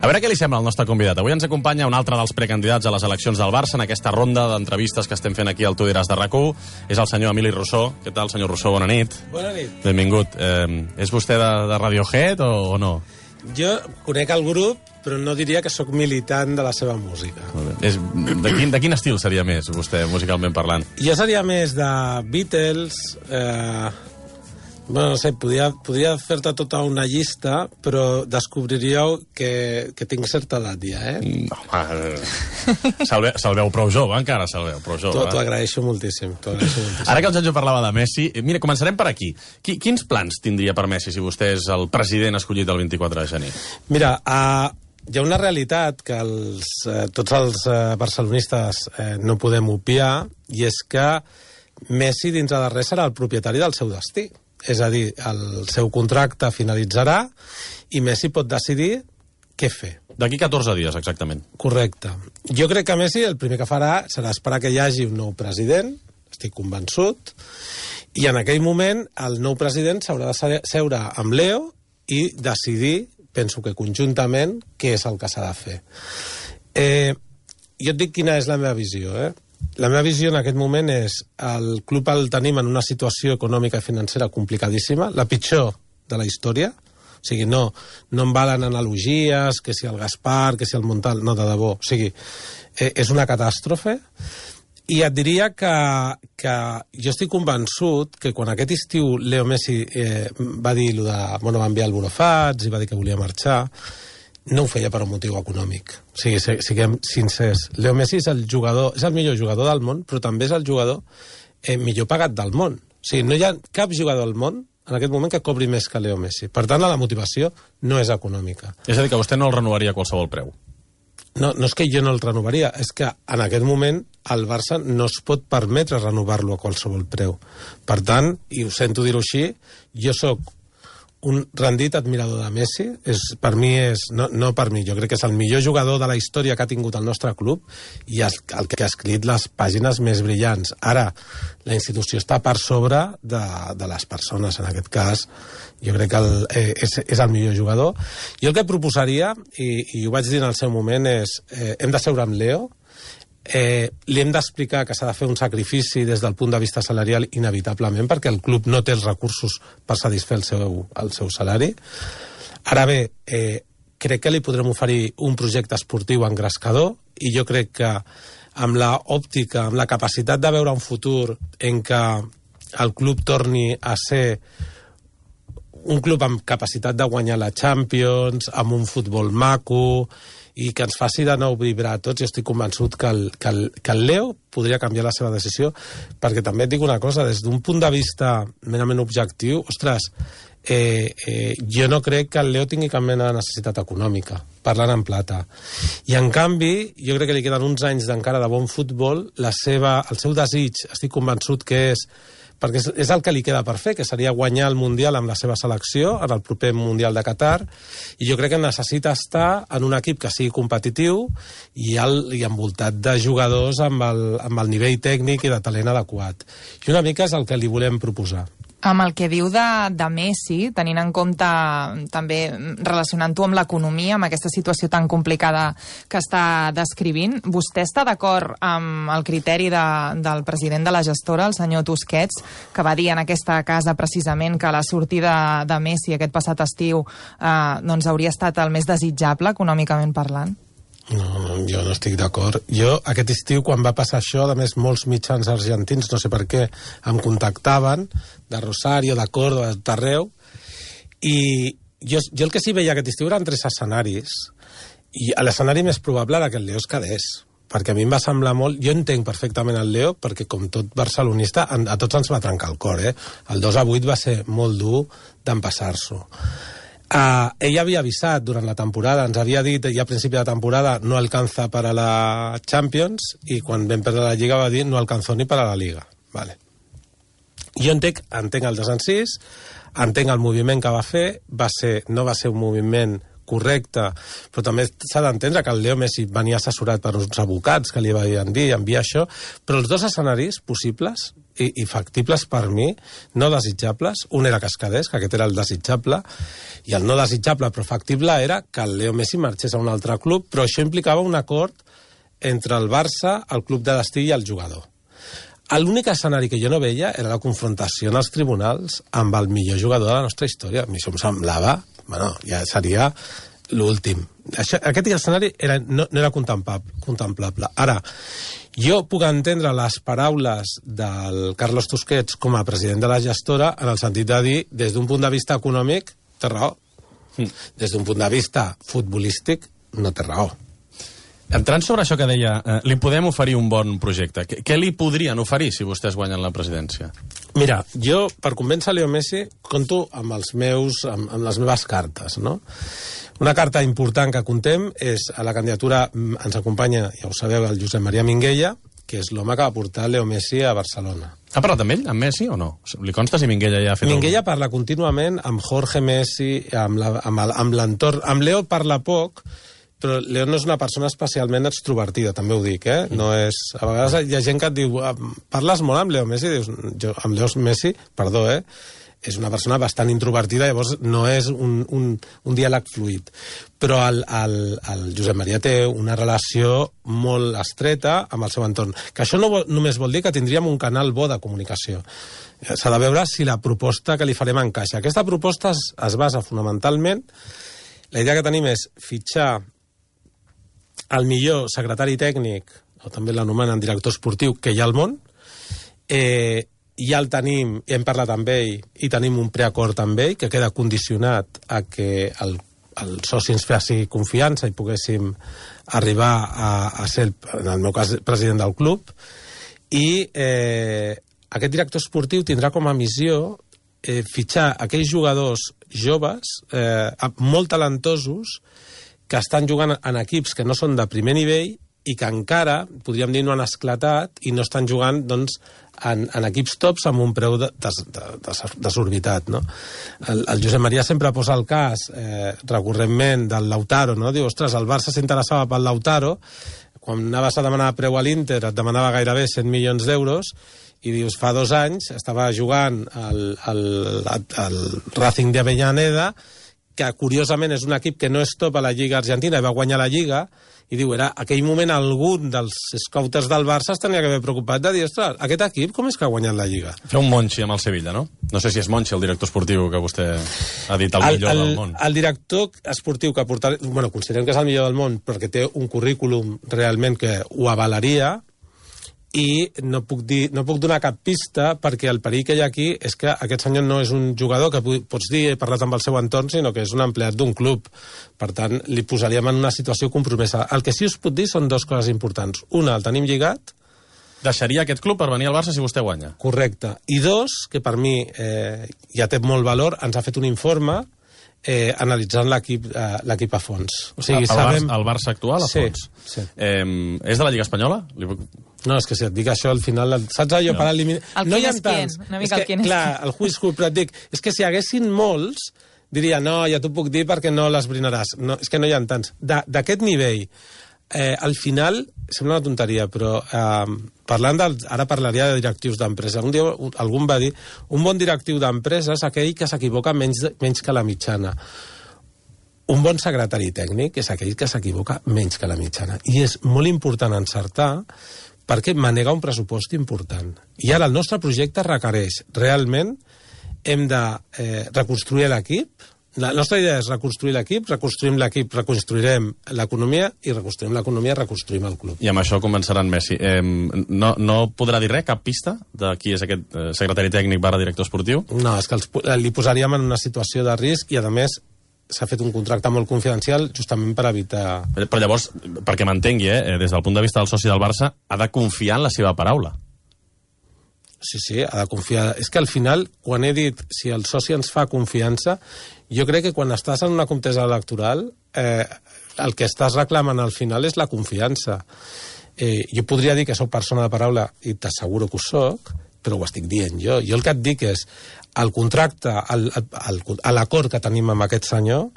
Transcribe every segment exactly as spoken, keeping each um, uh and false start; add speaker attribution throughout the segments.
Speaker 1: A veure què li sembla al nostre convidat. Avui ens acompanya un altre dels precandidats a les eleccions del Barça en aquesta ronda d'entrevistes que estem fent aquí al Tu diràs de RAC u. És el senyor Emili Rousseau. Què tal, senyor Rousseau? Bona nit.
Speaker 2: Bona nit.
Speaker 1: Benvingut. Eh, és vostè de, de Radiohead o, o no?
Speaker 2: Jo conec el grup, però no diria que sóc militant de la seva música.
Speaker 1: És, de, quin, de quin estil seria més, vostè, musicalment parlant?
Speaker 2: Jo seria més de Beatles... Eh, bueno, no sé, podria, podria fer-te tota una llista, però descobriríeu que, que tinc certa edat ja, eh?
Speaker 1: No, home, se'l ve, se veu prou jove, encara se'l veu prou jove.
Speaker 2: T'ho agraeixo moltíssim, t'ho agraeixo moltíssim.
Speaker 1: Ara que el Janjo parlava de Messi, mira, començarem per aquí. Qui, quins plans tindria per Messi si vostè és el president escollit el vint-i-quatre de gener?
Speaker 2: Mira, uh, hi ha una realitat que els, uh, tots els uh, barcelonistes uh, no podem obviar, i és que Messi, dins de res, serà el propietari del seu destí. És a dir, el seu contracte finalitzarà i Messi pot decidir què fer.
Speaker 1: D'aquí catorze dies, exactament.
Speaker 2: Correcte. Jo crec que Messi el primer que farà serà esperar que hi hagi un nou president, estic convençut, i en aquell moment el nou president s'haurà de seure amb Leo i decidir, penso que conjuntament, què és el que s'ha de fer. Eh, jo et dic quina és la meva visió, eh? La meva visió en aquest moment és el club el tenim en una situació econòmica i financera complicadíssima, la pitjor de la història. O sigui, no, no em valen analogies, que si el Gaspar, que si el Montal, no, de debò. O sigui, eh, és una catàstrofe. I et diria que, que jo estic convençut que quan aquest estiu Leo Messi eh, va dir lo de, bueno, va enviar el Burofats i va dir que volia marxar, no ho feia per un motiu econòmic. O sigui, siguem sincers. Leo Messi és el jugador, és el millor jugador del món, però també és el jugador eh, millor pagat del món. O sigui, no hi ha cap jugador del món en aquest moment que cobri més que Leo Messi. Per tant, la motivació no és econòmica.
Speaker 1: És a dir, que vostè no el renovaria a qualsevol preu.
Speaker 2: No, no és que jo no el renovaria, és que en aquest moment el Barça no es pot permetre renovar-lo a qualsevol preu. Per tant, i ho sento dir-ho així, jo sóc un rendit admirador de Messi. És, per mi és, no, no per mi, jo crec que és el millor jugador de la història que ha tingut el nostre club i el, el que ha escrit les pàgines més brillants. Ara, la institució està per sobre de, de les persones, en aquest cas. Jo crec que el, eh, és, és el millor jugador. Jo el que proposaria, i, i ho vaig dir en el seu moment, és eh, hem de seure amb Leo, Eh, li hem d'explicar que s'ha de fer un sacrifici des del punt de vista salarial inevitablement, perquè el club no té els recursos per satisfer el seu, el seu salari. Ara bé, eh, crec que li podrem oferir un projecte esportiu engrescador, i jo crec que amb la òptica, amb la capacitat de veure un futur en què el club torni a ser un club amb capacitat de guanyar la Champions, amb un futbol maco, i que ens faci de nou vibrar a tots, jo estic convençut que el, que, el, que el Leo podria canviar la seva decisió, perquè també et dic una cosa, des d'un punt de vista merament objectiu, ostres, eh, eh, jo no crec que el Leo tingui cap mena de necessitat econòmica, parlant en plata. I en canvi, jo crec que li queden uns anys d'encara de bon futbol, la seva, el seu desig, estic convençut que és perquè és, és el que li queda per fer, que seria guanyar el Mundial amb la seva selecció, en el proper Mundial de Qatar, i jo crec que necessita estar en un equip que sigui competitiu i, el, i envoltat de jugadors amb el, amb el nivell tècnic i de talent adequat. I una mica és el que li volem proposar.
Speaker 3: Amb el que diu de, de Messi, tenint en compte també relacionant-ho amb l'economia, amb aquesta situació tan complicada que està descrivint, vostè està d'acord amb el criteri de, del president de la gestora, el senyor Tusquets, que va dir en aquesta casa precisament que la sortida de Messi aquest passat estiu eh, doncs hauria estat el més desitjable econòmicament parlant?
Speaker 2: No, no, jo no estic d'acord. Jo, aquest estiu, quan va passar això, a més, molts mitjans argentins, no sé per què, em contactaven, de Rosario, de Córdoba, de tot arreu, i jo, jo el que sí veia aquest estiu eren tres escenaris, i l'escenari més probable era que el Leo es quedés, perquè a mi em va semblar molt... Jo entenc perfectament el Leo, perquè com tot barcelonista, a tots ens va trencar el cor, eh? El dos a vuit va ser molt dur d'empassar-s'ho. Uh, ell havia avisat durant la temporada, ens havia dit ja a principi de temporada no alcanza para la Champions, i quan vam perdre la Lliga va dir no alcanzó ni para la Liga. Vale. Jo entenc, entenc el desencís, entenc el moviment que va fer, va ser, no va ser un moviment correcte, però també s'ha d'entendre que el Leo Messi venia assessorat per uns advocats que li van dir enviar això, però els dos escenaris possibles i, i factibles per mi, no desitjables, un era Cascadés, que aquest era el desitjable, i el no desitjable però factible era que el Leo Messi marxés a un altre club, però això implicava un acord entre el Barça, el club de destí i el jugador. L'únic escenari que jo no veia era la confrontació en els tribunals amb el millor jugador de la nostra història. A mi això em semblava, bueno, ja seria l'últim. Aquest escenari era, no, no era contemplable, contemplable. Ara, jo puc entendre les paraules del Carlos Tusquets com a president de la gestora en el sentit de dir, des d'un punt de vista econòmic, té raó. Des d'un punt de vista futbolístic, no té raó.
Speaker 1: Entrant sobre això que deia, eh, li podem oferir un bon projecte. Què, què li podrien oferir si vostès guanyen la presidència?
Speaker 2: Mira, jo, per convèncer Leo Messi, compto amb, els meus, amb, amb les meves cartes, no? Una carta important que contem és a la candidatura, ens acompanya, ja ho sabeu, el Josep Maria Minguella, que és l'home que va portar Leo Messi a Barcelona.
Speaker 1: Ha parlat amb ell, amb Messi, o no? Li consta si Minguella ja ha fet...
Speaker 2: Minguella algun... parla contínuament amb Jorge Messi, amb l'entorn... Amb, amb Leo parla poc, però Leo no és una persona especialment extrovertida, també ho dic, eh? No és... A vegades hi ha gent que et diu, parles molt amb Leo Messi? Dius, jo, amb Leo Messi, perdó, eh? És una persona bastant introvertida, llavors no és un, un, un diàleg fluid. Però el, el, el Josep Maria té una relació molt estreta amb el seu entorn. Que això no vol, només vol dir que tindríem un canal bo de comunicació. S'ha de veure si la proposta que li farem encaixa. Aquesta proposta es, es basa fonamentalment... La idea que tenim és fitxar el millor secretari tècnic, o també l'anomenen director esportiu, que hi ha al món. Eh, ja el tenim, hem parlat amb ell, i tenim un preacord amb ell, que queda condicionat a que el, el soci ens faci confiança i poguéssim arribar a, a ser, el, en el meu cas, president del club. I eh, aquest director esportiu tindrà com a missió eh, fitxar aquells jugadors joves, eh, molt talentosos, que estan jugant en equips que no són de primer nivell i que encara, podríem dir, no han esclatat i no estan jugant, doncs, en, en equips tops amb un preu des, des, desorbitat, no? El, el Josep Maria sempre posa el cas, eh, recurrentment, del Lautaro, no? Diu, ostres, el Barça s'interessava pel Lautaro, quan anaves a demanar preu a l'Inter et demanava gairebé cent milions d'euros, i dius, fa dos anys estava jugant el, el, el, el Racing de Avellaneda, que curiosament és un equip que no és top a la Lliga Argentina i va guanyar la Lliga, i diu, era aquell moment algun dels scouters del Barça es tenia que haver preocupat de dir, ostres, aquest equip com és que ha guanyat la Lliga?
Speaker 1: Fer un Monchi amb el Sevilla, no? No sé si és Monchi el director esportiu que vostè ha dit el, el millor el, del món.
Speaker 2: El director esportiu que portarà... Bueno, considerem que és el millor del món perquè té un currículum realment que ho avalaria, i no puc, dir, no puc donar cap pista perquè el perill que hi ha aquí és que aquest senyor no és un jugador que pots dir he parlat amb el seu entorn, sinó que és un empleat d'un club. Per tant, li posaríem en una situació compromesa. El que sí us puc dir són dues coses importants. Una, el tenim lligat.
Speaker 1: Deixaria aquest club per venir al Barça si vostè guanya.
Speaker 2: Correcte. I dos, que per mi eh, ja té molt valor, ens ha fet un informe eh, analitzant l'equip eh, l'equip a fons. O sigui,
Speaker 1: el,
Speaker 2: sabem...
Speaker 1: Barça, el Barça actual a fons?
Speaker 2: Sí, sí.
Speaker 1: Eh, és de la Lliga Espanyola? Li puc...
Speaker 2: No, és que si et dic això, al final, saps allò, no. Per eliminar...
Speaker 3: El
Speaker 2: no hi ha
Speaker 3: és
Speaker 2: tants.
Speaker 3: Una mica
Speaker 2: és
Speaker 3: el
Speaker 2: que,
Speaker 3: és
Speaker 2: clar, el who is who, però et dic, és que si hi haguessin molts, diria, no, ja t'ho puc dir perquè no l'esbrinaràs. No, és que no hi ha tants. D'aquest nivell, eh, al final, sembla una tonteria, però eh, parlant del... Ara parlaria de directius d'empresa. Un dia algú va dir, un bon directiu d'empresa és aquell que s'equivoca menys, menys que la mitjana. Un bon secretari tècnic és aquell que s'equivoca menys que la mitjana. I és molt important encertar perquè manega un pressupost important. I ara el nostre projecte requereix realment hem de eh, reconstruir l'equip. La nostra idea és reconstruir l'equip, reconstruïm l'equip, reconstruirem l'economia i reconstruïm l'economia, reconstruïm el club.
Speaker 1: I amb això començaran Messi. Eh, no, no podrà dir res, cap pista de qui és aquest eh, secretari tècnic barra director esportiu?
Speaker 2: No, és que els, li posaríem en una situació de risc i, a més, s'ha fet un contracte molt confidencial justament per evitar...
Speaker 1: Però llavors, perquè m'entengui, eh, des del punt de vista del soci del Barça, ha de confiar en la seva paraula.
Speaker 2: Sí, sí, ha de confiar. És que al final, quan he dit si el soci ens fa confiança, jo crec que quan estàs en una contesa electoral, eh, el que estàs reclamant al final és la confiança. Eh, jo podria dir que sóc persona de paraula, i t'asseguro que ho soc, però ho estic dient jo. Jo el que et dic és, el contracte, l'acord que tenim amb aquest senyor,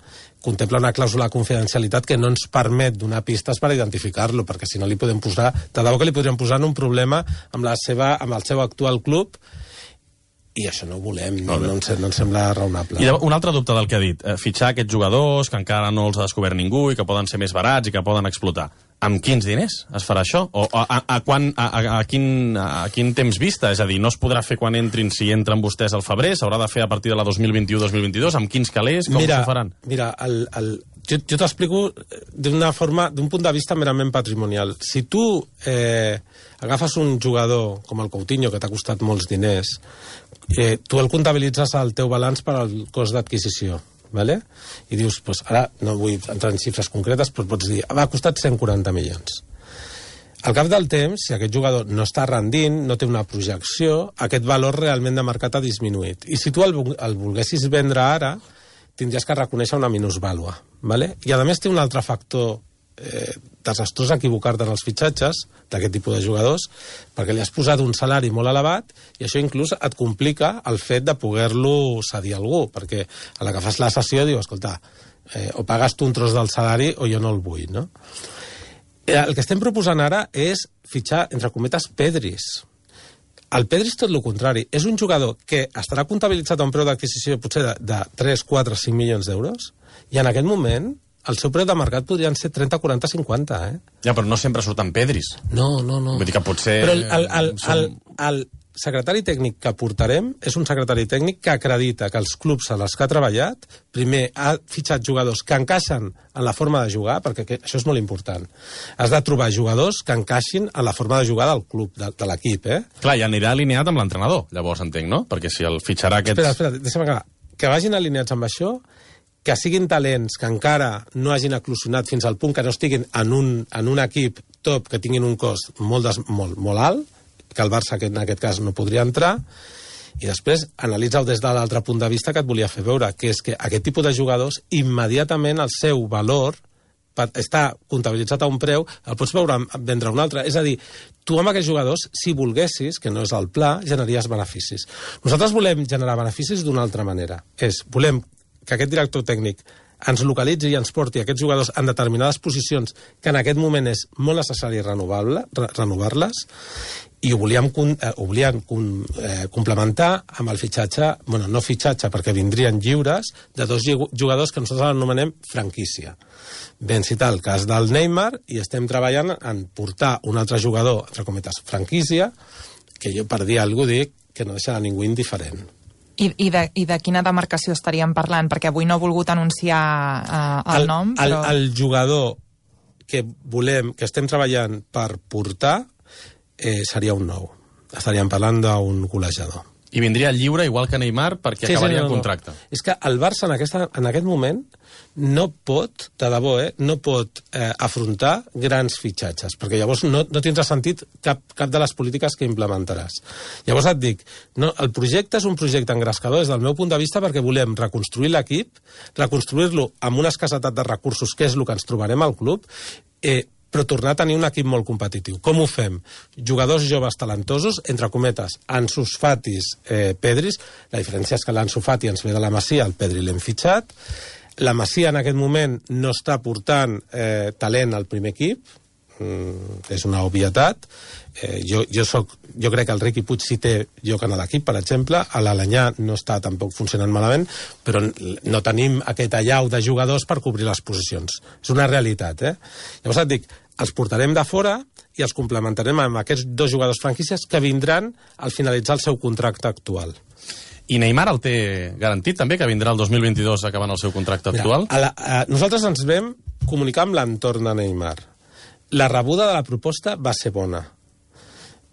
Speaker 2: contempla una clàusula de confidencialitat que no ens permet donar pistes per identificar-lo, perquè si no li podem posar, de debò que li podríem posar en un problema amb, la seva, amb el seu actual club, i això no ho volem, no, no, ens, no ens sembla raonable.
Speaker 1: I un altre dubte del que ha dit, eh, fitxar aquests jugadors que encara no els ha descobert ningú i que poden ser més barats i que poden explotar. Amb quins diners es farà això? O a, a, a, quan, a, a, quin, a quin temps vista? És a dir, no es podrà fer quan entrin si entren vostès al febrer, s'haurà de fer a partir de la dos mil vint u dos mil vint-dos, amb quins calés, com
Speaker 2: mira,
Speaker 1: s'ho faran?
Speaker 2: Mira, el, el, jo, jo t'explico d'una forma, d'un punt de vista merament patrimonial. Si tu eh, agafes un jugador com el Coutinho, que t'ha costat molts diners, eh, tu el comptabilitzes al teu balanç per al cost d'adquisició. Vale? I dius, pues, ara no vull entrar en xifres concretes, però pots dir, va, ha costat cent quaranta milions. Al cap del temps, si aquest jugador no està rendint, no té una projecció, aquest valor realment de mercat ha disminuït. I si tu el, el volguessis vendre ara, tindries que reconèixer una minusvàlua. Vale? I a més té un altre factor eh, desastrós equivocar-te en els fitxatges d'aquest tipus de jugadors, perquè li has posat un salari molt elevat i això inclús et complica el fet de poder-lo cedir a algú, perquè a la que fas la sessió diu, escolta, eh, o pagues tu un tros del salari o jo no el vull, no? El que estem proposant ara és fitxar, entre cometes, Pedris. El Pedri és tot el contrari. És un jugador que estarà comptabilitzat a un preu d'adquisició potser de, de tres, quatre, cinc milions d'euros i en aquest moment el seu preu de mercat podrien ser trenta, quaranta, cinquanta, eh?
Speaker 1: Ja, però no sempre surten Pedris.
Speaker 2: No, no, no.
Speaker 1: Vull dir que potser...
Speaker 2: Però el, el, el,
Speaker 1: som...
Speaker 2: el, el secretari tècnic que portarem és un secretari tècnic que acredita que els clubs en els que ha treballat, primer ha fitxat jugadors que encaixen en la forma de jugar, perquè això és molt important. Has de trobar jugadors que encaixin en la forma de jugar del club, de, de l'equip, eh?
Speaker 1: Clar, i anirà alineat amb l'entrenador, llavors entenc, no? Perquè si el fitxarà aquests...
Speaker 2: Espera, espera, deixa'm acabar. Que vagin alineats amb això, que siguin talents que encara no hagin eclosionat fins al punt que no estiguin en un, en un equip top, que tinguin un cost molt, des, molt, molt alt, que el Barça en aquest cas no podria entrar, i després analitza-ho des de l'altre punt de vista que et volia fer veure, que és que aquest tipus de jugadors, immediatament el seu valor està comptabilitzat a un preu, el pots veure vendre un altre. És a dir, tu amb aquests jugadors, si volguessis, que no és el pla, generaries beneficis. Nosaltres volem generar beneficis d'una altra manera. És, volem que aquest director tècnic ens localitzi i ens porti aquests jugadors en determinades posicions que en aquest moment és molt necessari renovar-les, i ho volíem, eh, ho volíem eh, complementar amb el fitxatge, bueno, no fitxatge, perquè vindrien lliures, de dos jugadors que nosaltres anomenem franquícia. Ben citar el cas del Neymar, i estem treballant en portar un altre jugador, entre cometes, franquícia, que jo per dir alguna cosa dic que no deixarà ningú indiferent.
Speaker 3: I, i, de, I de quina demarcació estaríem parlant? Perquè avui no he volgut anunciar uh, el, el nom, però...
Speaker 2: El, el jugador que volem, que estem treballant per portar, eh, seria un nou. Estaríem parlant d'un golejador.
Speaker 1: I vindria lliure igual que Neymar perquè sí, acabaria sí, no, el contracte.
Speaker 2: No. És que el Barça en, aquesta, en aquest moment no pot, de debò, eh, no pot eh, afrontar grans fitxatges, perquè llavors no, no tindrà sentit cap, cap de les polítiques que implementaràs. Llavors et dic, no, el projecte és un projecte engrescador des del meu punt de vista perquè volem reconstruir l'equip, reconstruir-lo amb una escassetat de recursos, que és el que ens trobarem al club, eh, però tornar a tenir un equip molt competitiu. Com ho fem? Jugadors joves talentosos, entre cometes, Ansu Fatis, eh, Pedris. La diferència és que l'Ansu Fati ens ve de la Masia, el Pedri l'hem fitxat. La Masia en aquest moment no està portant eh, talent al primer equip, mm, és una obvietat. Eh, jo, jo, soc, jo crec que el Riqui Puig sí té lloc en l'equip, per exemple, a l'Alanyà no està tampoc funcionant malament, però no tenim aquest allau de jugadors per cobrir les posicions. És una realitat, eh? Llavors et dic, els portarem de fora i els complementarem amb aquests dos jugadors franquícies que vindran al finalitzar el seu contracte actual.
Speaker 1: I Neymar el té garantit també, que vindrà el dos mil vint-dos acabant el seu contracte
Speaker 2: Mira,
Speaker 1: actual?
Speaker 2: A la, a, nosaltres ens vam comunicar amb l'entorn de Neymar. La rebuda de la proposta va ser bona.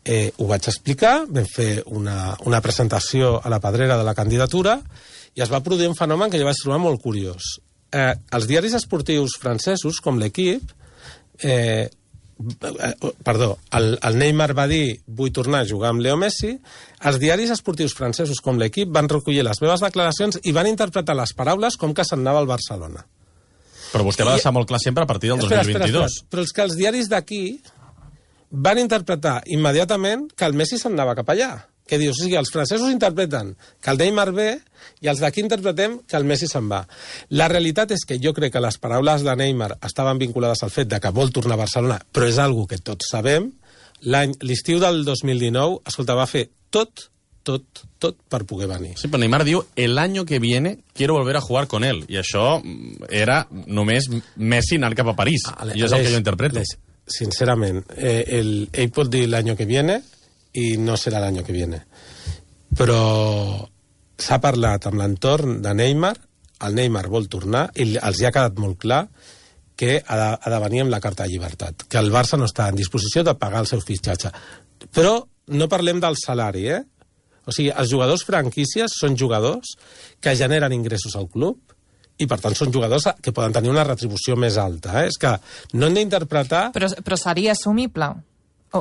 Speaker 2: Eh, ho vaig explicar, vam fer una, una presentació a la pedrera de la candidatura i es va produir un fenomen que jo vaig trobar molt curiós. Eh, els diaris esportius francesos, com l'Equip, Eh, perdó, el, el Neymar va dir vull tornar a jugar amb Leo Messi. Els diaris esportius francesos com l'Equip van recollir les meves declaracions i van interpretar les paraules com que se'n anava al Barcelona.
Speaker 1: Però vostè va deixar molt clar sempre a partir del
Speaker 2: espera,
Speaker 1: dos mil vint-dos.
Speaker 2: Espera, espera. Però és que els diaris d'aquí van interpretar immediatament que el Messi se'n anava cap allà. que dius, o sigui, els francesos interpreten que el Neymar ve i els d'aquí interpretem que el Messi se'n va. La realitat és que jo crec que les paraules de Neymar estaven vinculades al fet de que vol tornar a Barcelona, però és algo que tots sabem. L'estiu del dos mil dinou, escolta, va fer tot, tot, tot per poder venir.
Speaker 1: Sí, però Neymar diu, el año que viene quiero volver a jugar con él. I això era només Messi anant cap a París. Ah, I és el que jo interpreto.
Speaker 2: Les, sincerament, eh, el, ell pot dir l'any que viene i no serà l'any que viene. Però s'ha parlat amb l'entorn de Neymar, el Neymar vol tornar i els hi ha quedat molt clar que ha de, ha de venir amb la carta de llibertat, que el Barça no està en disposició de pagar el seu fitxatge. Però no parlem del salari, eh? O sigui, els jugadors franquícies són jugadors que generen ingressos al club i, per tant, són jugadors que poden tenir una retribució més alta. Eh? És que no hem d'interpretar...
Speaker 3: Però, però seria assumible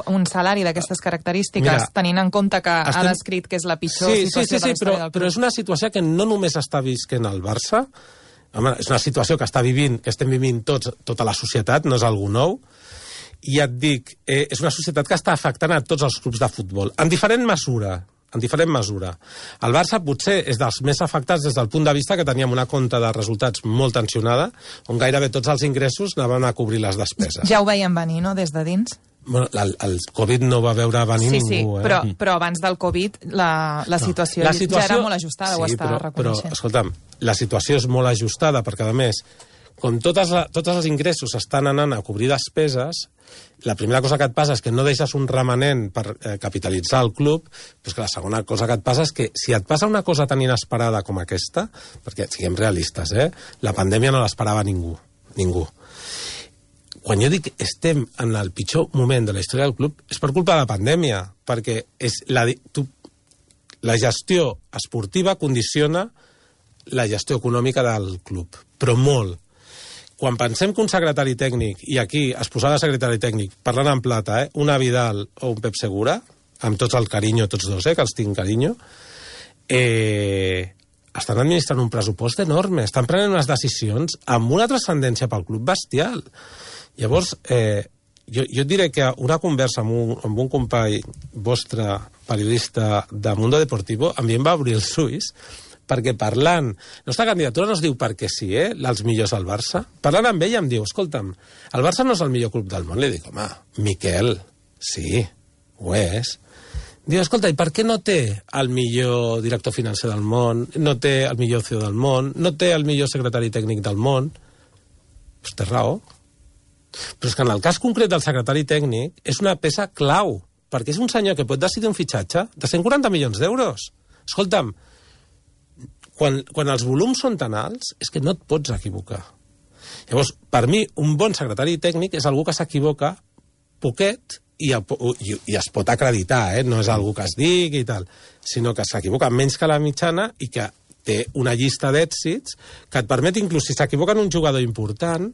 Speaker 3: un salari d'aquestes característiques, Mira, tenint en compte que estem... ha descrit que és la pitjor
Speaker 2: sí,
Speaker 3: situació
Speaker 2: sí, sí, sí,
Speaker 3: de la història
Speaker 2: però,
Speaker 3: del club.
Speaker 2: Però és una situació que no només està visquent el Barça, home, és una situació que està vivint, que estem vivint tots, tota la societat, no és algú nou, i ja et dic, eh, és una societat que està afectant a tots els clubs de futbol, en diferent mesura, en diferent mesura. El Barça potser és dels més afectats des del punt de vista que teníem una compta de resultats molt tensionada, on gairebé tots els ingressos anaven a cobrir les despeses.
Speaker 3: Ja ho veiem venir, no?, des de dins?
Speaker 2: Bueno, el, el Covid no va veure venir
Speaker 3: sí,
Speaker 2: ningú.
Speaker 3: Sí,
Speaker 2: eh?
Speaker 3: però, però abans del Covid la, la,
Speaker 2: no.
Speaker 3: situació,
Speaker 2: la situació
Speaker 3: ja era molt ajustada,
Speaker 2: sí,
Speaker 3: ho està
Speaker 2: però,
Speaker 3: reconeixent.
Speaker 2: Però, escolta'm, la situació és molt ajustada perquè, a més, com totes, tots els ingressos estan anant a cobrir despeses, la primera cosa que et passa és que no deixes un remanent per eh, capitalitzar el club, però és que la segona cosa que et passa és que si et passa una cosa tan inesperada com aquesta, perquè siguem realistes, eh, la pandèmia no l'esperava ningú, ningú. Quan jo dic estem en el pitjor moment de la història del club és per culpa de la pandèmia, perquè és la, tu, la gestió esportiva condiciona la gestió econòmica del club, però molt. Quan pensem que un secretari tècnic, i aquí es posava secretari tècnic, parlant en plata, eh, una Vidal o un Pep Segura, amb tots el carinyo, tots dos, eh, que els tinc carinyo, eh, estan administrant un pressupost enorme, estan prenent unes decisions amb una transcendència pel club bestial. Llavors, eh, jo, jo et diré que una conversa amb un, amb un company vostre, periodista de Mundo Deportivo, a mi em va obrir els ulls, perquè parlant... La nostra candidatura no es diu perquè sí, eh?, els millors al Barça. Parlant amb ell em diu, escolta'm, el Barça no és el millor club del món. Li dic, home, Miquel, sí, ho és. Diu, escolta, i per què no té el millor director financer del món, no té el millor C E O del món, no té el millor secretari tècnic del món? Pues té raó. Però és que en el cas concret del secretari tècnic és una peça clau, perquè és un senyor que pot decidir un fitxatge de cent quaranta milions d'euros. Escolta'm, quan, quan els volums són tan alts és que no et pots equivocar. Llavors, per mi, un bon secretari tècnic és algú que s'equivoca poquet i, i, i es pot acreditar, eh? No és algú que es digui i tal, sinó que s'equivoca menys que la mitjana i que té una llista d'èxits que et permet, inclús si s'equivoca en un jugador important,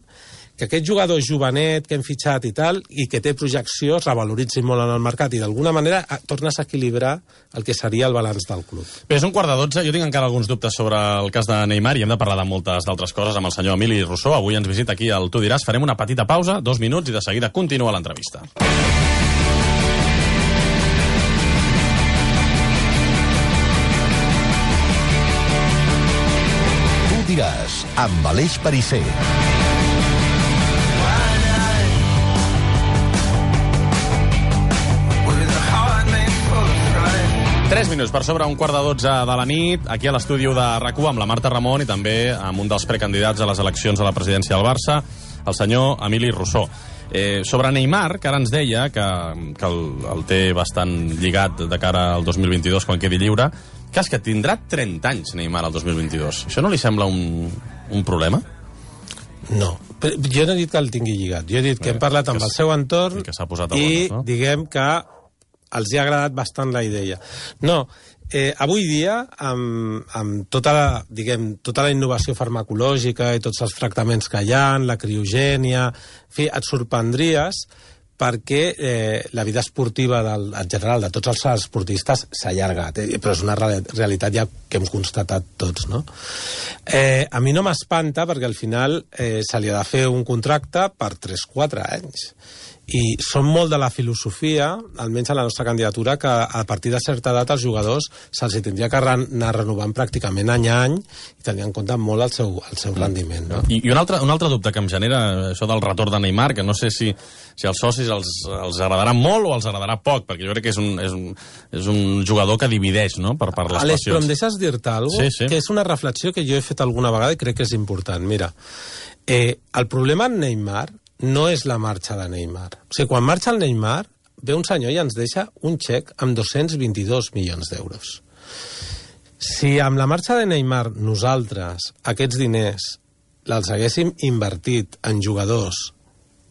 Speaker 2: que aquest jugador jovenet que hem fitxat i tal, i que té projecció, es revaloritzi molt en el mercat i d'alguna manera tornes a equilibrar el que seria el balanç del club.
Speaker 1: Bé, és un quart de dotze. Jo tinc encara alguns dubtes sobre el cas de Neymar i hem de parlar de moltes d'altres coses amb el senyor Emili Rousseau. Avui ens visita aquí al Tu diràs. Farem una petita pausa, dos minuts, i de seguida continua l'entrevista.
Speaker 4: Tu diràs, amb Aleix Perisser.
Speaker 1: Tres minuts per sobre un quart de dotze de la nit, aquí a l'estudi de RAC u amb la Marta Ramon i també amb un dels precandidats a les eleccions a la presidència del Barça, el senyor Emili Rousseau. Eh, sobre Neymar, que ara ens deia que, que el, el té bastant lligat de cara al dos mil vint-i-dos quan quedi lliure, que és que tindrà trenta anys Neymar al dos mil vint-i-dos. Això no li sembla un, un problema?
Speaker 2: No, però jo no he dit que el tingui lligat. Jo he dit que hem parlat amb el seu entorn
Speaker 1: i, que posat a
Speaker 2: i
Speaker 1: bones, no?
Speaker 2: diguem que els hi ha agradat bastant la idea. No, eh, avui dia, amb, amb tota, la, diguem, tota la innovació farmacològica i tots els tractaments que hi ha, la criogènia, en fi, et sorprendries perquè eh, la vida esportiva del, en general de tots els esportistes s'ha allargat, eh, però és una realitat ja que hem constatat tots, no? Eh, a mi no m'espanta perquè al final eh, se li ha de fer un contracte per tres quatre anys. i som molt de la filosofia, almenys a la nostra candidatura, que a partir de certa edat els jugadors se'ls tindria que anar renovant pràcticament any a any i tenir en compte molt el seu, el seu rendiment. No?
Speaker 1: I, i un, altre, un altre dubte que em genera això del retorn de Neymar, que no sé si, si als socis els, els agradarà molt o els agradarà poc, perquè jo crec que és un, és un, és un jugador que divideix, no?, per, per les
Speaker 2: Àlex,
Speaker 1: passions.
Speaker 2: però em deixes dir-te alguna cosa?
Speaker 1: Sí, sí.
Speaker 2: Que és una reflexió que jo he fet alguna vegada i crec que és important. Mira, eh, el problema en Neymar no és la marxa de Neymar. O sigui, quan marxa el Neymar, ve un senyor i ens deixa un xec amb dos-cents vint-i-dos milions d'euros. Si amb la marxa de Neymar nosaltres aquests diners els haguéssim invertit en jugadors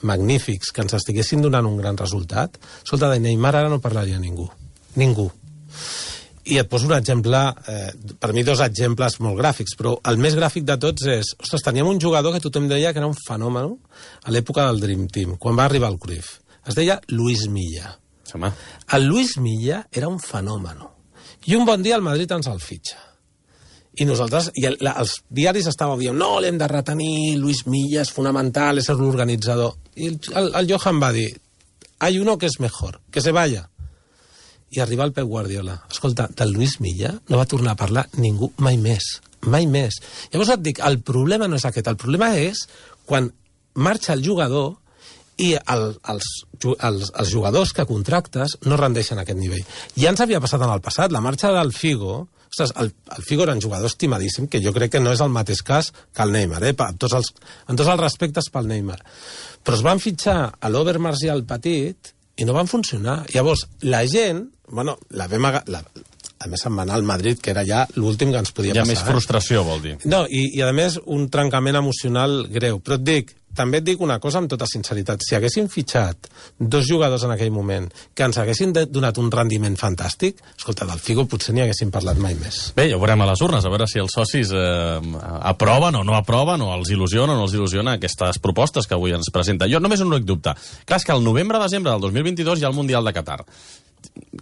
Speaker 2: magnífics que ens estiguessin donant un gran resultat, escolta, de Neymar ara no parlaria ningú. Ningú. I et poso un exemple, eh, per mi dos exemples molt gràfics, però el més gràfic de tots és, ostres, teníem un jugador que tothom deia que era un fenomen a l'època del Dream Team, quan va arribar el Cruyff. Es deia Luis Milla.
Speaker 1: Home.
Speaker 2: El Luis Milla era un fenomen. I un bon dia el Madrid ens el fitxa. I nosaltres, i el, la, els diaris estaven dient, no, l'hem de retenir, Luis Milla és fonamental, és l'organitzador. I el, el, el Johan va dir, hay uno que es mejor, que se vaya. I arriba el Pep Guardiola. Escolta, del Luis Milla no va tornar a parlar ningú mai més. Mai més. Llavors et dic, el problema no és aquest. El problema és quan marxa el jugador i el, els, els, els jugadors que contractes no rendeixen aquest nivell. Ja ens havia passat en el passat. La marxa del Figo... Ostres, el, el Figo era un jugador estimadíssim, que jo crec que no és el mateix cas que el Neymar, eh? En tots els, en tots els respectes pel Neymar. Però es van fitxar a l'Obermars i al Petit i no van funcionar. Llavors, la gent, bueno, la vam aga... la... a més se'n va anar al Madrid, que era ja l'últim que ens podia
Speaker 1: Hi ha
Speaker 2: passar.
Speaker 1: més frustració, eh? vol dir.
Speaker 2: No, i, i a més un trencament emocional greu. Però et dic, també et dic una cosa amb tota sinceritat. Si haguéssim fitxat dos jugadors en aquell moment que ens haguessin donat un rendiment fantàstic, escolta, del Figo potser ni haguéssim parlat mai més.
Speaker 1: Bé, ja ho veurem a les urnes, a veure si els socis eh, aproven o no aproven, o els il·lusiona o no els il·lusiona aquestes propostes que avui ens presenta. Jo només un únic dubte. Clar, és que el novembre-desembre del dos mil vint-i-dos hi ha el Mundial de Qatar.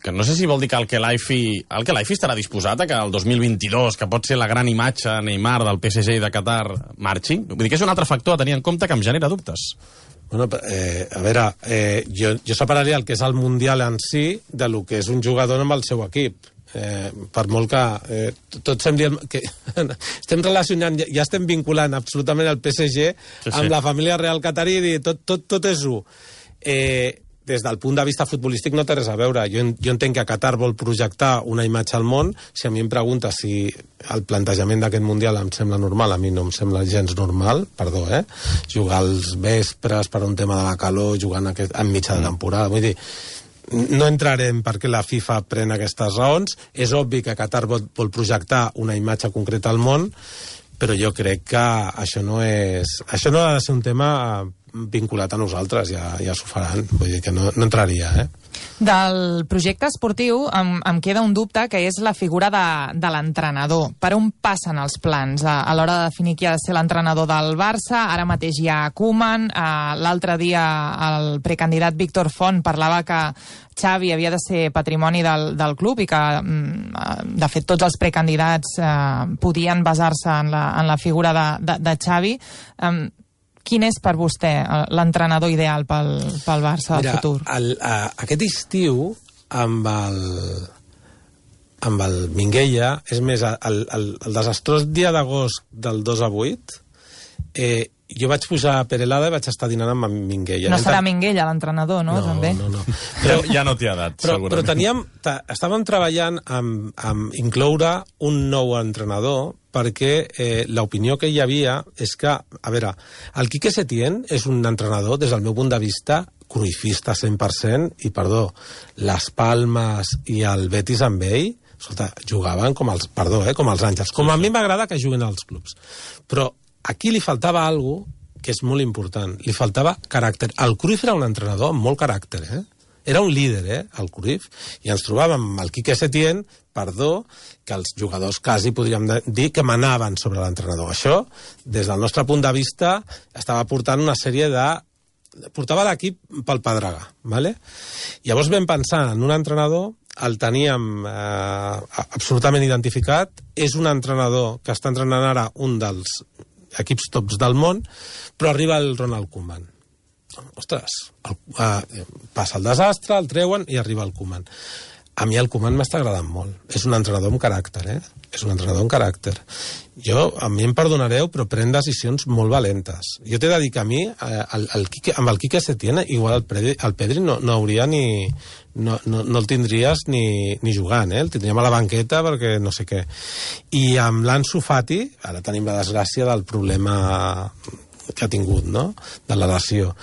Speaker 1: Que no sé si vol dir que el Kelaifi el Kelaifi estarà disposat a que el dos mil vint-i-dos, que pot ser la gran imatge Neymar del P S G i de Qatar, marxi? Vull dir que és un altre factor a tenir en compte que em genera dubtes.
Speaker 2: Bueno, eh, a veure, eh, jo, jo separaria el que és el Mundial en si de lo que és un jugador amb el seu equip. Eh, per molt que eh, tots estem dient que estem relacionant, ja estem vinculant absolutament el P S G sí, sí. amb la família real catarí i dir, tot, tot, tot és u. Eh, des del punt de vista futbolístic no té res a veure. Jo, jo entenc que Qatar vol projectar una imatge al món. Si a mi em pregunta si el plantejament d'aquest Mundial em sembla normal, a mi no em sembla gens normal, perdó, eh? Jugar als vespres per un tema de la calor, jugant aquest, en mitja de temporada. Vull dir, no entrarem perquè la FIFA pren aquestes raons. És obvi que Qatar vol, vol projectar una imatge concreta al món, però jo crec que això no és... Això no ha de ser un tema vinculat a nosaltres, ja, ja s'ho faran. Vull dir que no, no entraria, eh?
Speaker 3: Del projecte esportiu em, em queda un dubte, que és la figura de, de l'entrenador. Per on passen els plans a, a l'hora de definir qui ha de ser l'entrenador del Barça? Ara mateix hi ha Koeman. Eh, L'altre dia el precandidat Víctor Font parlava que Xavi havia de ser patrimoni del, del club i que, de fet, tots els precandidats eh, podien basar-se en, la, en la figura de, de, de Xavi. Eh, Quin és per vostè l'entrenador ideal pel, pel Barça del
Speaker 2: Mira,
Speaker 3: futur?
Speaker 2: El, a, aquest estiu, amb el, amb el Minguella, és més, el, el, el desastrós dia d'agost del dos a vuit, eh, jo vaig pujar a Perelada i vaig estar dinant amb Minguella.
Speaker 3: No serà Minguella l'entrenador, no?
Speaker 2: No,
Speaker 3: També?
Speaker 2: no, no.
Speaker 1: Però, ja no t'hi ha dat,
Speaker 2: però,
Speaker 1: segurament.
Speaker 2: però teníem, estàvem treballant amb, amb incloure un nou entrenador, perquè eh, l'opinió que hi havia és que, a veure, el Quique Setién és un entrenador, des del meu punt de vista, cruifista cent per cent, i, perdó, les Palmes i el Betis amb ell, escolta, jugaven com els, perdó, eh, com els àngels. Com a mi m'agrada que juguen als clubs. Però aquí li faltava alguna cosa que és molt important. Li faltava caràcter. El Cruyff era un entrenador amb molt caràcter, eh? Era un líder, eh, el Cruyff, i ens trobàvem amb el Quique Setién, perdó, que els jugadors quasi podríem dir que manaven sobre l'entrenador. Això, des del nostre punt de vista, estava portant una sèrie de... portava l'equip pel pedregar, ¿vale? Llavors vam pensar en un entrenador, el teníem eh, absolutament identificat, és un entrenador que està entrenant ara un dels equips tops del món, però arriba el Ronald Koeman. ostres, el, uh, passa el desastre, el treuen i arriba el Koeman. A mi el Koeman m'està agradant molt. És un entrenador amb caràcter, eh? És un entrenador amb caràcter. Jo, a mi em perdonareu, però pren decisions molt valentes. Jo t'he de dir que a mi, eh, el, el Quique, amb el Quique Setién, igual el Pedri, el Pedri no, no hauria ni... No, no, no el tindries ni, ni jugant, eh? El tindríem a la banqueta perquè no sé què. I amb l'Ansu Fati, ara tenim la desgràcia del problema que ha tingut, no?, de la lesió.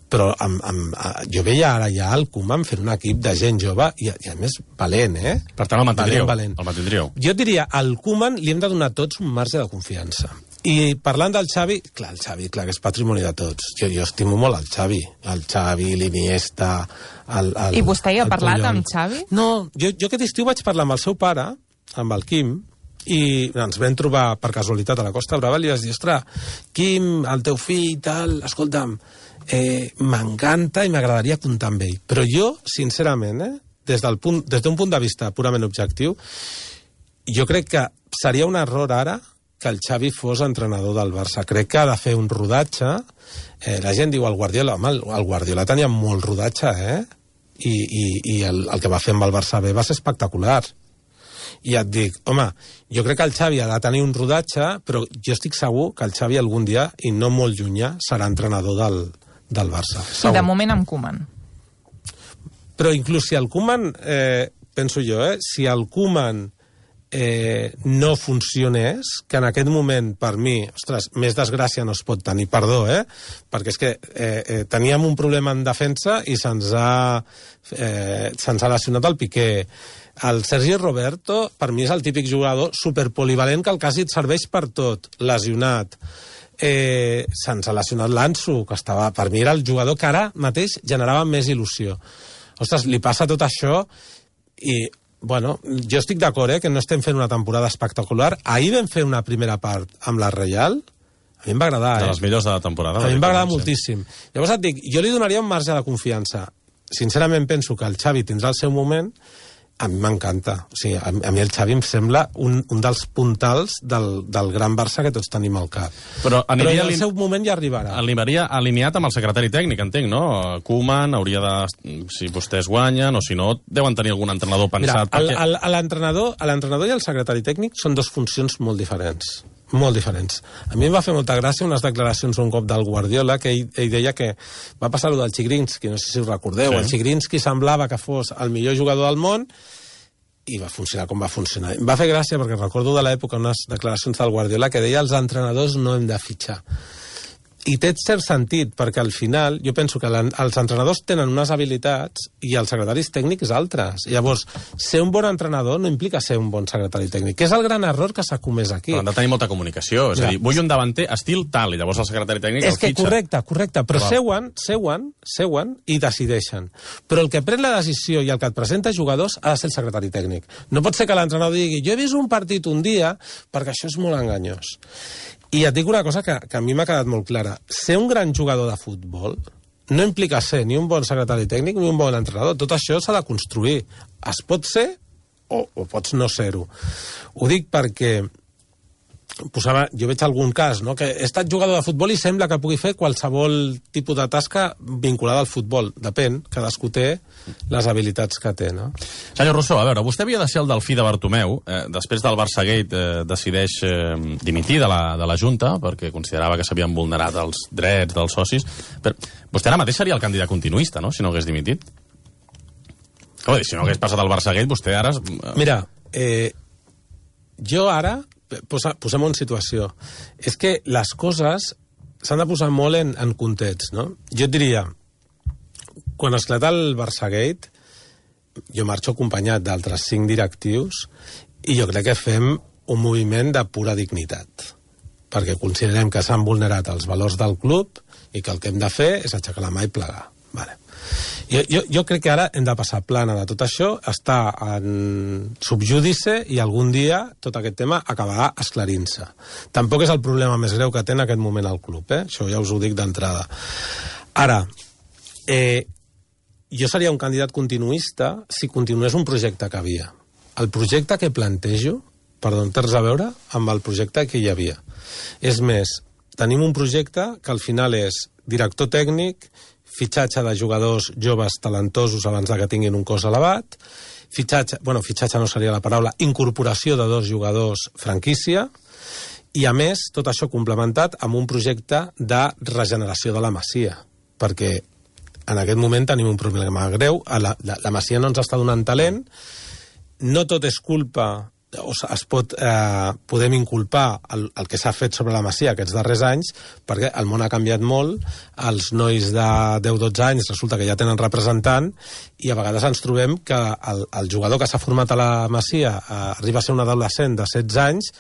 Speaker 2: Però amb, amb, jo veia ara ja el Koeman fent un equip de gent jove i, i a més valent, eh?
Speaker 1: Per tant, el mantindríeu.
Speaker 2: Valent, valent.
Speaker 1: El mantindríeu.
Speaker 2: Jo et diria, al Koeman li hem de donar tots un marge de confiança. I parlant del Xavi, clar, el Xavi, clar, que és patrimoni de tots. Jo, jo estimo molt el Xavi. El Xavi, l'Iniesta, el, el
Speaker 3: I vostè hi ha parlat
Speaker 2: Puyol.
Speaker 3: amb Xavi?
Speaker 2: No, jo, jo aquest estiu vaig parlar amb el seu pare, amb el Quim, i ens vam trobar per casualitat a la Costa Brava i li vaig dir, ostres, Quim, el teu fill i tal, escolta'm, eh, m'encanta i m'agradaria comptar amb ell. Però jo, sincerament, eh, des d'un punt, des d'un punt de vista purament objectiu, jo crec que seria un error ara que el Xavi fos entrenador del Barça. Crec que ha de fer un rodatge. Eh, la gent diu el Guardiola, home, el, el Guardiola tenia molt rodatge, eh? I, i, i el, el que va fer amb el Barça B va ser espectacular. I et dic, home, jo crec que el Xavi ha de tenir un rodatge, però jo estic segur que el Xavi algun dia, i no molt llunyà, serà entrenador del, del Barça.
Speaker 3: I de moment amb Koeman.
Speaker 2: Però inclús si el Koeman, eh, penso jo, eh, si el Koeman eh, no funcionés, que en aquest moment, per mi, ostres, més desgràcia no es pot tenir, perdó, eh? Perquè és que eh, eh, teníem un problema en defensa i se'ns ha, eh, se'ns ha lesionat el Piqué. El Sergi Roberto, per mi, és el típic jugador superpolivalent que el quasi et serveix per tot, lesionat. Eh, se'ns ha lesionat l'Ansu, que estava, per mi era el jugador que ara mateix generava més il·lusió. Ostres, li passa tot això i, bueno, jo estic d'acord, eh, que no estem fent una temporada espectacular. Ahir vam fer una primera part amb la Reial, a mi em va agradar, eh?
Speaker 1: De les millors de la temporada.
Speaker 2: A mi em va agradar moltíssim. Llavors et dic, jo li donaria un marge de confiança. Sincerament penso que el Xavi tindrà el seu moment. A mi m'encanta. O sigui, a, a mi el Xavi em sembla un, un dels puntals del, del gran Barça que tots tenim al cap.
Speaker 1: Però,
Speaker 2: Però en el seu moment ja arribarà.
Speaker 1: Arribaria alineat amb el secretari tècnic, entenc, no? Koeman hauria de... Si vostès guanyen, o si no, deuen tenir algun entrenador pensat...
Speaker 2: Mira, perquè... l'entrenador l'entrenador i el secretari tècnic són dos funcions molt diferents. Molt diferents. A mi em va fer molta gràcia unes declaracions un cop del Guardiola, que ell, ell deia que va passar allò del Chigrinsky, no sé si us recordeu, sí. El Chigrinsky semblava que fos el millor jugador del món i va funcionar com va funcionar. Em va fer gràcia perquè recordo de l'època unes declaracions del Guardiola que deia els entrenadors no hem de fitxar. I té cert sentit, perquè al final jo penso que els entrenadors tenen unes habilitats i els secretaris tècnics altres. Llavors, ser un bon entrenador no implica ser un bon secretari tècnic, que és el gran error que s'ha comès aquí.
Speaker 1: Però han de tenir molta comunicació, és ja. a dir, vull un davanter estil tal, i llavors el secretari tècnic
Speaker 2: és
Speaker 1: el
Speaker 2: que
Speaker 1: fitxa.
Speaker 2: Correcte, correcte, però
Speaker 1: Val.
Speaker 2: seuen, seuen, seuen i decideixen. Però el que pren la decisió i el que et presenta jugadors ha de ser el secretari tècnic. No pot ser que l'entrenador digui jo he vist un partit un dia, perquè això és molt enganyós. I et dic una cosa que, que a mi m'ha quedat molt clara. Ser un gran jugador de futbol no implica ser ni un bon secretari tècnic ni un bon entrenador. Tot això s'ha de construir. Es pot ser o, o pots no ser-ho. Ho dic perquè posava, jo veig algun cas, no? Que he estat jugador de futbol i sembla que pugui fer qualsevol tipus de tasca vinculada al futbol. Depèn, cadascú té les habilitats que té, no?
Speaker 1: Senyor Rousseau, a veure, vostè havia de ser el delfí de Bartomeu, eh, després del Barçagate eh, decideix eh, dimitir de la, de la Junta, perquè considerava que s'havien vulnerat els drets dels socis. Però vostè ara mateix seria el candidat continuista, no?, si no hagués dimitit. Home, si no hagués passat el Barçagate, vostè ara...
Speaker 2: Mira, eh, jo ara... Posa, posem en situació. És que les coses s'han de posar molt en, en context, no? Jo et diria, quan esclata el Barçagate, jo marxo acompanyat d'altres cinc directius i jo crec que fem un moviment de pura dignitat, perquè considerem que s'han vulnerat els valors del club i que el que hem de fer és aixecar la mà i plegar. Vale. Jo, jo, jo crec que ara hem de passar plana de tot això, està en subjúdice i algun dia tot aquest tema acabarà esclarint-se. Tampoc és el problema més greu que té en aquest moment el club, eh? Això ja us ho dic d'entrada. Ara, eh, jo seria un candidat continuista si continués un projecte que havia. El projecte que plantejo, perdó, té res a veure amb el projecte que hi havia. És més, tenim un projecte que al final és director tècnic, fitxatge de jugadors joves talentosos abans que tinguin un cos elevat, fitxatge, bueno, fitxatge no seria la paraula, incorporació de dos jugadors franquícia, i a més, tot això complementat amb un projecte de regeneració de la Masia, perquè en aquest moment tenim un problema greu, la, la, la Masia no ens està donant talent, no tot és culpa, o es pot, eh, podem inculpar el, el que s'ha fet sobre la Masia aquests darrers anys, perquè el món ha canviat molt, els nois de deu dotze anys resulta que ja tenen representant, i a vegades ens trobem que el, el jugador que s'ha format a la Masia eh, arriba a ser un adolescent de setze anys,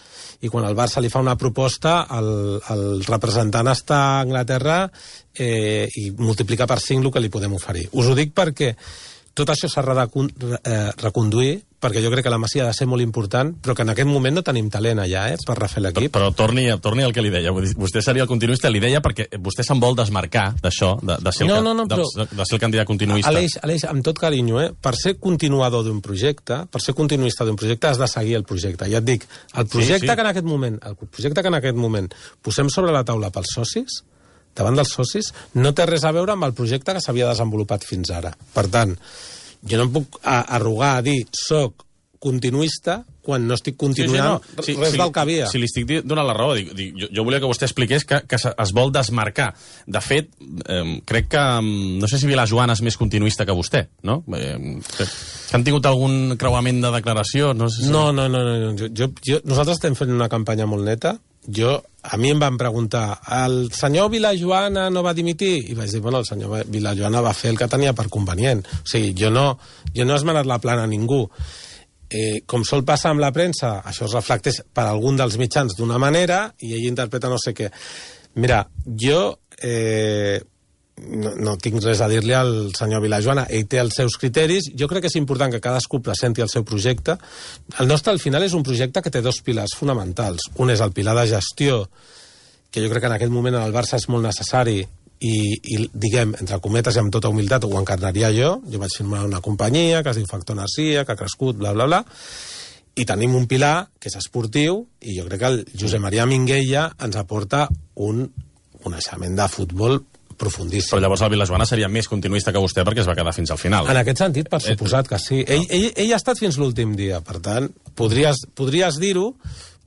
Speaker 2: i quan el Barça li fa una proposta, el, el representant està a Anglaterra eh, i multiplica per cinc el que li podem oferir. Us ho dic perquè tot això s'ha de eh, reconduir, perquè jo crec que la Masia ha de ser molt important, però que en aquest moment no tenim talent allà, eh, per refer l'equip.
Speaker 1: Però, però torni, torni al que li deia. Vostè seria el continuista, li deia perquè vostè se'n vol desmarcar d'això, de, de, ser el,
Speaker 2: no, no, no,
Speaker 1: de,
Speaker 2: però,
Speaker 1: de, de ser el candidat continuista.
Speaker 2: Aleix, Aleix, amb tot carinyo, eh, per ser continuador d'un projecte, per ser continuista d'un projecte, has de seguir el projecte. Ja et dic, el projecte sí, sí. que en aquest moment, el projecte que en aquest moment posem sobre la taula pels socis, davant dels socis, no té res a veure amb el projecte que s'havia desenvolupat fins ara. Per tant, jo no em puc arrogar a dir soc continuista quan no estic continuant sí, sí, no. res sí, del que havia.
Speaker 1: Si li estic donant la raó, dic, dic, jo, jo volia que vostè expliqués que, que es vol desmarcar. De fet, eh, crec que, no sé si Vilajoana és més continuista que vostè, no? Eh, que, que han tingut algun creuament de declaració? No, sé si...
Speaker 2: no, no, no, no. Jo, jo, jo, nosaltres estem fent una campanya molt neta. Jo, a mi em van preguntar, el senyor Vilajoana no va dimitir? I vaig dir, bueno, el senyor Vilajoana va fer el que tenia per convenient. O sigui, jo no, jo no he esmenat la plana a ningú. Eh, com sol passar amb la premsa, això es reflecteix per algun dels mitjans d'una manera i ell interpreta no sé què. Mira, jo eh, no, no tinc res a dir-li al senyor Vilajoana. Ell té els seus criteris. Jo crec que és important que cadascú presenti el seu projecte. El nostre, al final, és un projecte que té dos pilars fonamentals. Un és el pilar de gestió, que jo crec que en aquest moment en el Barça és molt necessari, i, i diguem, entre cometes i amb tota humilitat, ho encarnaria jo. Jo vaig firmar una companyia que es diu Factor Narcia, que ha crescut, bla, bla, bla. I tenim un pilar que és esportiu, i jo crec que el Josep Maria Minguella ens aporta un coneixement de futbol profundíssim.
Speaker 1: Però llavors el Vilajoana seria més continuista que vostè perquè es va quedar fins al final.
Speaker 2: En aquest sentit, per suposat que sí. Ell, ell, ell ha estat fins l'últim dia, per tant, podries, podries dir-ho,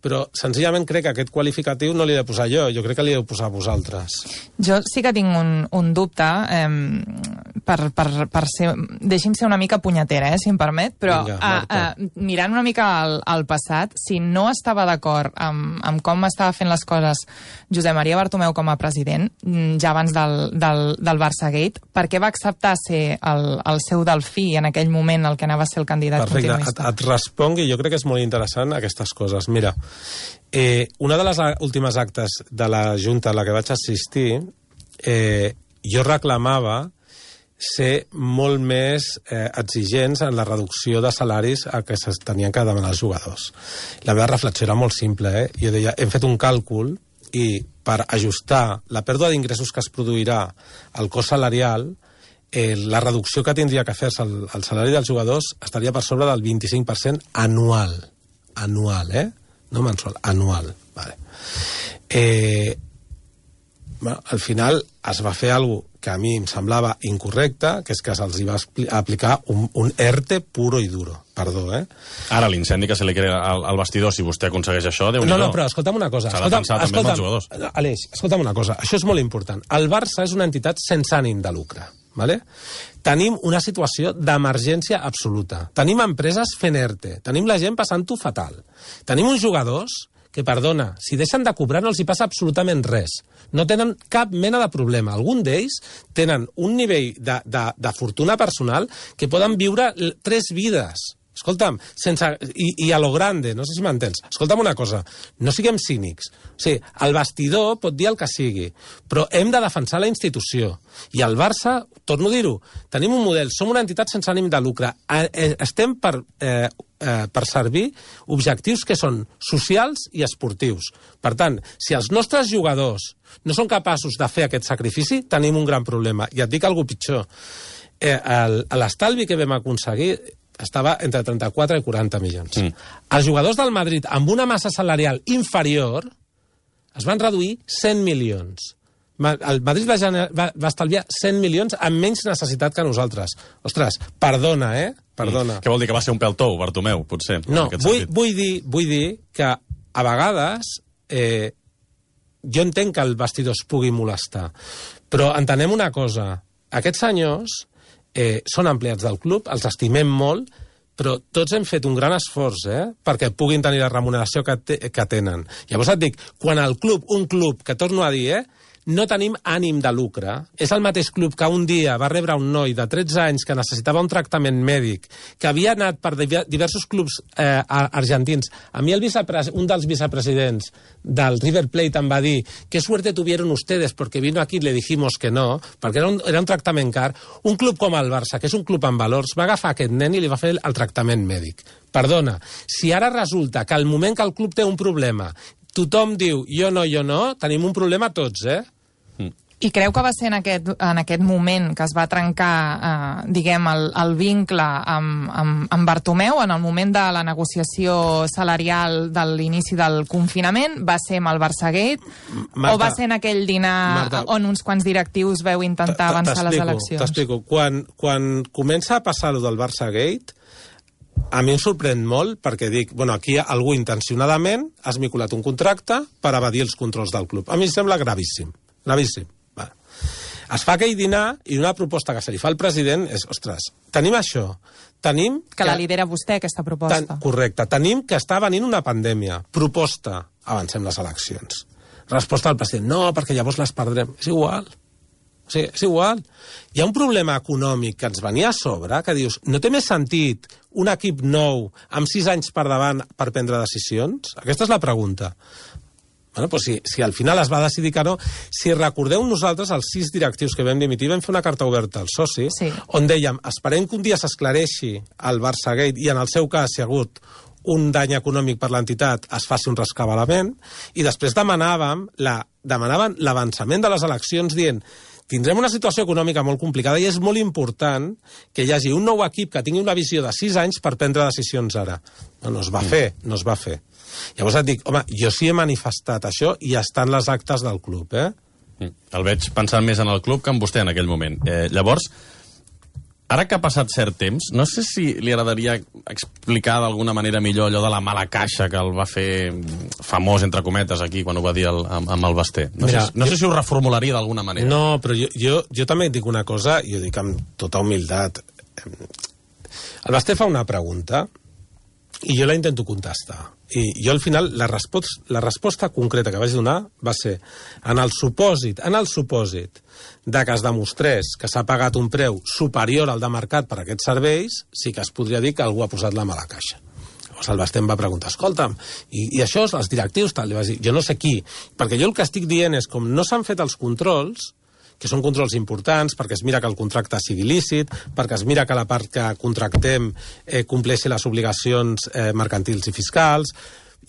Speaker 2: però senzillament crec que aquest qualificatiu no l'he de posar jo, jo crec que l'he de posar a vosaltres.
Speaker 3: Jo sí que tinc un, un dubte, eh, per, per, per ser... Deixi'm ser una mica punyetera, eh, si em permet, però
Speaker 2: Vinga,
Speaker 3: a, a, mirant una mica al, al passat, si no estava d'acord amb, amb com estava fent les coses Josep Maria Bartomeu com a president, ja abans del, del, del Barça-Gate, per què va acceptar ser el, el seu delfí en aquell moment el que anava a ser el candidat
Speaker 2: Perfecte.
Speaker 3: continuista?
Speaker 2: Et, et respongui, jo crec que és molt interessant aquestes coses. Mira, eh, una de les últimes actes de la Junta a la que vaig assistir, eh, jo reclamava ser molt més eh, exigents en la reducció de salaris a que es tenien que demanar els jugadors. La meva reflexió era molt simple, eh? Jo deia, hem fet un càlcul i per ajustar la pèrdua d'ingressos que es produirà al cost salarial, eh, la reducció que tindria que fer-se al, al salari dels jugadors estaria per sobre del vint-i-cinc per cent anual. Anual, eh? No mensual, anual. Vale. Eh, bueno, al final es va fer alguna cosa que a mi em semblava incorrecte, que és que se'ls va aplicar un, un ERTE puro i duro. Perdó, eh?
Speaker 1: Ara l'incendi que se li crea al, al vestidor, si vostè aconsegueix això, Déu-n'hi-do.
Speaker 2: No, no, però escolta'm una cosa.
Speaker 1: S'ha de pensar també amb els jugadors.
Speaker 2: Aleix, escolta'm una cosa. Això és molt important. El Barça és una entitat sense ànim de lucre. Vale? Tenim una situació d'emergència absoluta. Tenim empreses fent ERTE. Tenim la gent passant-ho fatal. Tenim uns jugadors que, perdona, si deixen de cobrar no els hi passa absolutament res. No tenen cap mena de problema. Algun d'ells tenen un nivell de, de, de fortuna personal que poden viure tres vides. Escolta'm, sense, i, i a lo grande, no sé si m'entens. Escolta'm una cosa, no siguem cínics. O sigui, el vestidor pot dir el que sigui, però hem de defensar la institució. I el Barça, torno a dir-ho, tenim un model, som una entitat sense ànim de lucre. Estem per, eh, eh, per servir objectius que són socials i esportius. Per tant, si els nostres jugadors no són capaços de fer aquest sacrifici, tenim un gran problema. I et dic alguna cosa pitjor. Eh, l'estalvi que vam aconseguir estava entre trenta-quatre i quaranta milions. Mm. Els jugadors del Madrid, amb una massa salarial inferior, es van reduir cent milions. El Madrid va, va, va estalviar cent milions amb menys necessitat que nosaltres. Ostres, perdona, eh? Perdona.
Speaker 1: Mm. Què vol dir, que va ser un pèl tou, Bartomeu, potser?
Speaker 2: No, vull, vull, dir, vull dir que a vegades eh, jo entenc que el vestidor es pugui molestar, però entenem una cosa. Aquests senyors eh, són empleats del club, els estimem molt, però tots hem fet un gran esforç eh, perquè puguin tenir la remuneració que, te, que tenen. Llavors et dic, quan el club, un club, que torno a dir, eh, no tenim ànim de lucre. És el mateix club que un dia va rebre un noi de tretze anys que necessitava un tractament mèdic, que havia anat per diversos clubs eh, argentins. A mi el un dels vicepresidents del River Plate em va dir «Qué suerte tuvieron ustedes porque vino aquí y le dijimos que no», perquè era un, era un tractament car. Un club com el Barça, que és un club amb valors, va agafar aquest nen i li va fer el tractament mèdic. Perdona, si ara resulta que al moment que el club té un problema tothom diu jo no, jo no, tenim un problema tots, eh?
Speaker 3: I creu que va ser en aquest, en aquest moment que es va trencar, eh, diguem, el, el vincle amb, amb, amb Bartomeu, en el moment de la negociació salarial de l'inici del confinament? Va ser amb el Barçagate? Marta, o va ser en aquell dinar Marta, on uns quants directius veu intentar avançar les eleccions?
Speaker 2: T'explico. Quan, quan comença a passar lo del Barçagate, a mi em sorprèn molt perquè dic, bueno, aquí algú intencionadament ha esmiculat un contracte per evadir els controls del club. A mi em sembla gravíssim, gravíssim. Va. Es fa aquell dinar i una proposta que se li fa al president és, ostres, tenim això, tenim...
Speaker 3: Que, que la lidera vostè, aquesta proposta.
Speaker 2: Ten, correcte, tenim que està venint una pandèmia. Proposta, avancem les eleccions. Resposta del president, no, perquè llavors les perdrem. És igual. O sigui, és igual. Hi ha un problema econòmic que ens venia a sobre, que dius, no té més sentit un equip nou amb sis anys per davant per prendre decisions? Aquesta és la pregunta. Bueno, doncs si, si al final es va decidir que no, si recordeu nosaltres, els sis directius que vam dimitir, vam fer una carta oberta als socis,
Speaker 3: sí,
Speaker 2: on dèiem, esperem que un dia s'esclareixi el Barçagate i en el seu cas si ha hagut un dany econòmic per l'entitat, es faci un rescabalament, i després demanàvem la, demanaven l'avançament de les eleccions dient tindrem una situació econòmica molt complicada i és molt important que hi hagi un nou equip que tingui una visió de sis anys per prendre decisions ara. No, no es va fer, no es va fer. Llavors et dic, home, jo sí he manifestat això i estan les actes del club, eh?
Speaker 1: El veig pensant més en el club que en vostè en aquell moment. Eh, llavors, ara que ha passat cert temps, no sé si li agradaria explicar d'alguna manera millor allò de la mala caixa que el va fer famós, entre cometes, aquí, quan ho va dir el, amb, amb el Basté. No, Mira, sé, no jo... sé si ho reformularia d'alguna manera.
Speaker 2: No, però jo, jo, jo també et dic una cosa, i ho dic amb tota humilitat. El Basté fa una pregunta i jo la intento contestar. I jo, al final, la, resposta, la resposta concreta que vaig donar va ser en el supòsit, en el supòsit de que es demostrés que s'ha pagat un preu superior al de mercat per a aquests serveis, sí que es podria dir que algú ha posat la mala caixa. Llavors el Basté em va preguntar, escolta'm, i, i això, els directius, tal? Li vaig dir, jo no sé qui, perquè jo el que estic dient és com no s'han fet els controls, que són controls importants, perquè es mira que el contracte sigui lícit, perquè es mira que la part que contractem eh, compleixi les obligacions eh, mercantils i fiscals,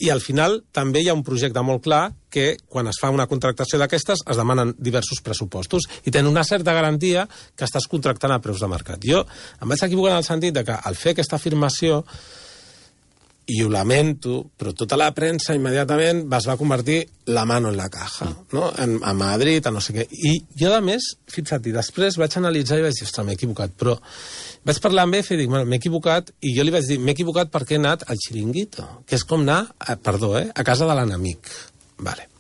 Speaker 2: i al final també hi ha un projecte molt clar que quan es fa una contractació d'aquestes es demanen diversos pressupostos i tenen una certa garantia que estàs contractant a preus de mercat. Jo em vaig equivocar en el sentit de que al fer aquesta afirmació, i ho lamento, però tota la premsa immediatament es va convertir la mano en la caja, no? En, a Madrid, a no sé què. I jo, a més, fixa't, i després vaig analitzar i vaig dir, ostres, m'he equivocat, però vaig parlar amb Efe i dic, bueno, m'he equivocat, i jo li vaig dir, m'he equivocat perquè he anat al xiringuito, que és com anar, a, perdó, eh, a casa de l'enemic. Vale.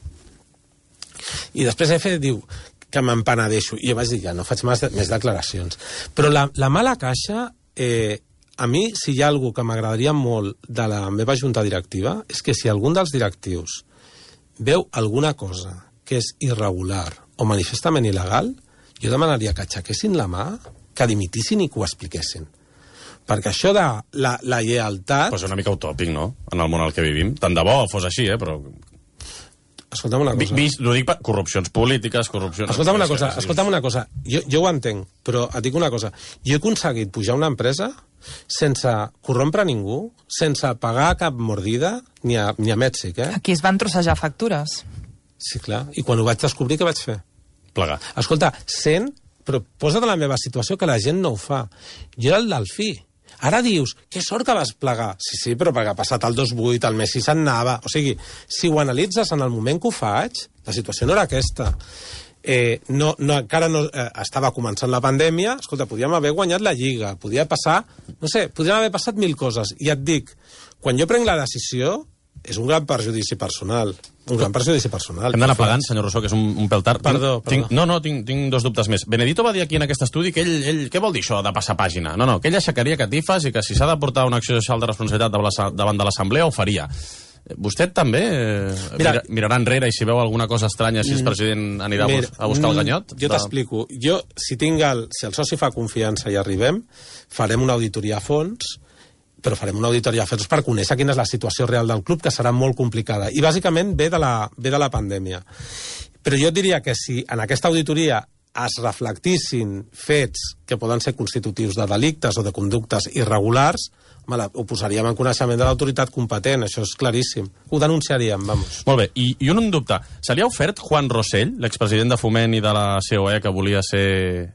Speaker 2: I després Efe diu que m'empenedeixo, i jo vaig dir, ja no faig més, més declaracions. Però la, la mala caixa... Eh, a mi, si hi ha algú que m'agradaria molt de la meva junta directiva, és que si algun dels directius veu alguna cosa que és irregular o manifestament il·legal, jo demanaria que aixequessin la mà, que dimitissin i que ho expliquessin. Perquè això de la, la lleialtat...
Speaker 1: Però és una mica utòpic, no?, en el món en el que vivim. Tant de bo fos així, eh, però...
Speaker 2: Escolta'm una cosa.
Speaker 1: Vist, ho dic per corrupcions polítiques, corrupcions...
Speaker 2: Escolta'm una cosa, escolta'm una cosa. Jo, jo ho entenc, però et dic una cosa. Jo he aconseguit pujar una empresa sense corrompre ningú, sense pagar cap mordida, ni a, ni a Mèxic, eh?
Speaker 3: Aquí es van trossejar factures.
Speaker 2: Sí, clar. I quan ho vaig descobrir, què vaig fer?
Speaker 1: Plegar.
Speaker 2: Escolta, sent, però posa't en la meva situació, que la gent no ho fa. Jo era el Delfí. Ara dius, que sort que vas plegar. Sí, sí, però perquè ha passat el dos vuit, el Messi se'n anava. O sigui, si ho analitzes en el moment que ho faig, la situació no era aquesta. Eh, no, no, encara no eh, estava començant la pandèmia, escolta, podíem haver guanyat la Lliga, podia passar, no sé, podrien haver passat mil coses. I et dic, quan jo prenc la decisió, és un gran perjudici personal. Un gran perjudici personal.
Speaker 1: Hem d'anar plegant, senyor Rousseau, que és un, un pèl tard.
Speaker 2: Perdó,
Speaker 1: tinc, tinc,
Speaker 2: perdó.
Speaker 1: no, no, tinc, tinc dos dubtes més. Benedito va dir aquí en aquest estudi que ell, ell... Què vol dir això de passar pàgina? No, no, que ell aixecaria catifes i que si s'ha de portar una acció social de responsabilitat davant de l'Assemblea ho faria. Vostè també eh, Mira, mirarà enrere i si veu alguna cosa estranya, si és president, anirà mira, a buscar el ganyot?
Speaker 2: Jo t'explico. Jo, si, tinc el, si el soci fa confiança i arribem, farem una auditoria a fons, però farem una auditoria a fons per conèixer quina és la situació real del club, que serà molt complicada. I bàsicament ve de la, ve de la pandèmia. Però jo diria que si en aquesta auditoria es reflectissin fets que poden ser constitutius de delictes o de conductes irregulars, home, ho posaríem en coneixement de l'autoritat competent, això és claríssim. Ho denunciaríem, vamos.
Speaker 1: Molt bé, i, i un dubte. Se li ha ofert Juan Rosell, l'expresident de Foment i de la C O E, que volia ser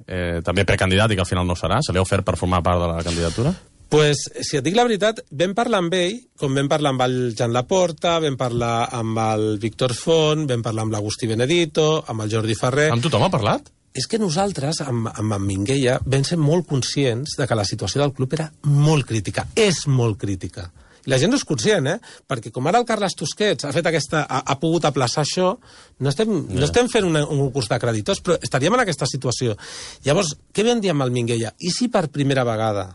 Speaker 1: eh, també precandidat i que al final no serà? Se li ha ofert per formar part de la candidatura?
Speaker 2: Pues, si et dic la veritat, vam parlar amb ell, com vam parlar amb el Jan Laporta, vam parlar amb el Víctor Font, vam parlar amb l'Agustí Benedito, amb el Jordi Ferrer...
Speaker 1: Amb tothom ha parlat?
Speaker 2: És que nosaltres, amb, amb en Minguella, vam ser molt conscients de que la situació del club era molt crítica, és molt crítica. I la gent no és conscient, eh? Perquè com ara el Carles Tusquets ha fet aquesta, ha, ha pogut aplaçar això, no estem, yeah. no estem fent una, un concurs de creditors, però estaríem en aquesta situació. Llavors, què vam dir amb el Minguella? I si per primera vegada